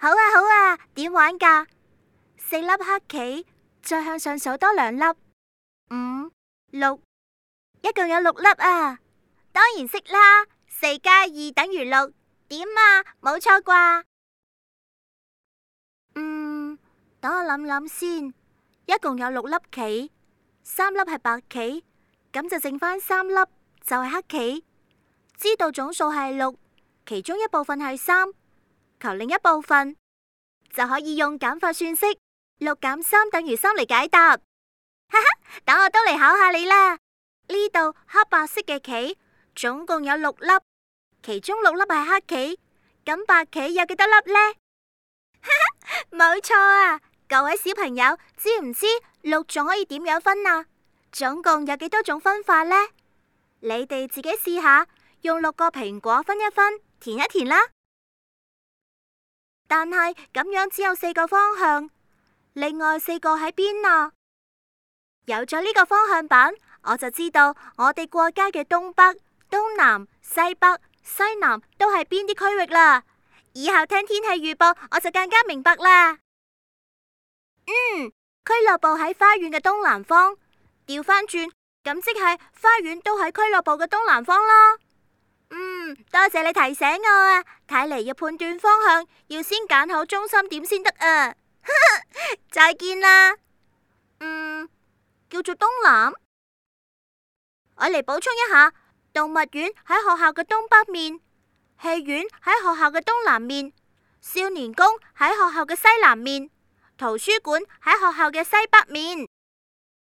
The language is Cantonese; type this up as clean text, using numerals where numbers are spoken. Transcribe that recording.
好啊好啊，點玩㗎？4粒黑棋，再向上數多2粒，5、6，一共有6粒啊！當然識啦，4加2等於6，點啊？冇錯啩？等我諗諗先，一共有6粒棋，3粒係白棋，咁就剩返3粒就係黑棋。知道總數係6，其中一部分係3，求另一部分，就可以用減法算式6減3等於3嚟解答。哈哈，等我都嚟考下你啦。呢度黑白色嘅棋總共有6粒，其中6粒係黑棋，咁白棋有幾多粒呢？哈哈，冇錯啊！各位小朋友，知唔知6仲可以點樣分啊？總共有幾多種分法呢？你哋自己試下，用6個蘋果分一分，填一填啦。但係咁樣只有4個方向，另外4個喺邊啊？有咗呢個方向板，我就知道我哋過街嘅東北、東南、西北、西南都係邊啲區域啦。以後聽天氣預報，我就更加明白啦。俱樂部喺花園嘅東南方，調返轉，咁即係花園都喺俱樂部嘅東南方啦。多謝你提醒我啊！睇嚟要判斷方向，要先揀好中心點先得啊！再見啦。叫做東南。我嚟補充一下，動物園喺學校嘅東北面，戲院喺學校嘅東南面，少年宮喺學校嘅西南面，圖書館喺學校嘅西北面。